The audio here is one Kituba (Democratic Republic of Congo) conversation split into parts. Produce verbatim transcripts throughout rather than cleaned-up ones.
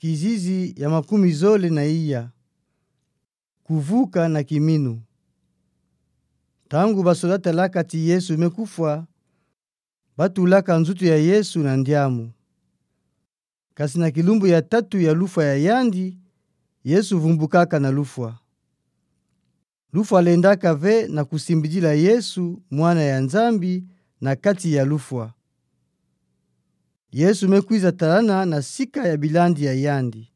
Kizizi ya makumi zole na iya. Kuvuka na kiminu. Ntangu basoda talaka ti Yesu me kufwa, batulaka nzutu ya Yesu na ndiamu. Kasi na kilumbu ya tatu ya lufwa ya yandi, Yesu vumbukaka na lufwa. Lufwa lendaka ve na kusimbidila Yesu, Mwana ya Nzambi, na kati ya lufwa. Yesu me kwiza talana na sika ya bilandi ya yandi.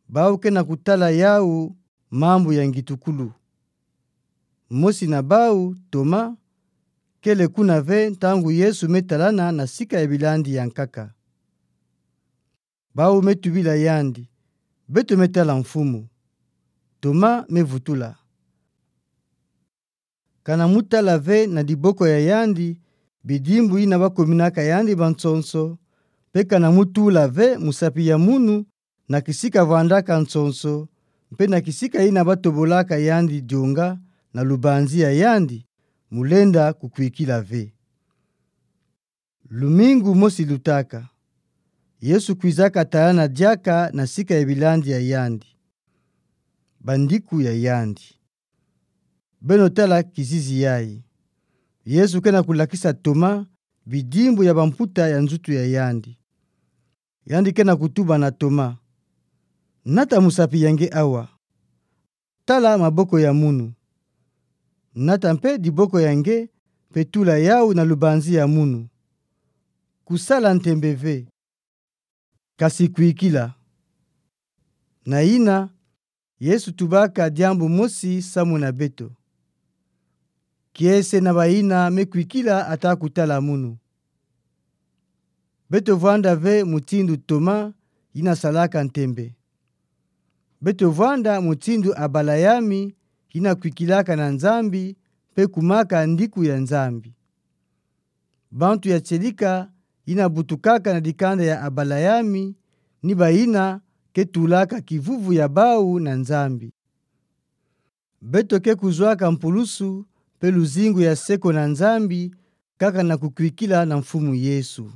Bau kena kutala yau mambu ya ngitukulu. Mosi na bau, Toma, kele kuna ve ntangu Yesu me talana na sika ya bilandi ya nkaka. Bau me tubila yandi: Beto me tala Mfumu. Toma me vutula: Kana mutala ve na diboko ya yandi bidimbu yina bakominaka yandi bansonso, mpe kana mutula ve musapi ya munu na kisika vwandaka nsonso, mpe na kisika yina batobolaka yandi dionga na lubanzi ya yandi, mulenda kukwikila ve. Lumingu mosi lutaka, Yesu kwizaka talana diaka na sika ya bilandi ya yandi. Bandiku ya yandi: Beno tala kizizi yayi. Yesu kena kulakisa Toma bidimbu ya bamputa ya nzutu ya yandi. Yandi kena kutuba na Toma: Nata musapi ya nge awa. Tala maboko ya munu. Nata mpe diboko ya nge, mpe tula yau na lubanzi ya munu. Kusala ntembe ve, kasi kwikila. Na yina, Yesu tubaka diambu mosi samu na beto. Kiese na bayina me kwikila ata kutala munu. Beto vwanda ve mutindu Toma yina salaka ntembe. Beto vwanda mutindu Abalayami yina kwikilaka na Nzambi, mpe kumaka ndiku ya Nzambi. Bantu ya tielika yina butukaka na dikanda ya Abalayami, ni bayina ke tulaka kivuvu ya bau na Nzambi. Beto ke kuzwaka mpulusu mpe luzingu ya seko na Nzambi, kaka na kukwikila na Mfumu Yesu.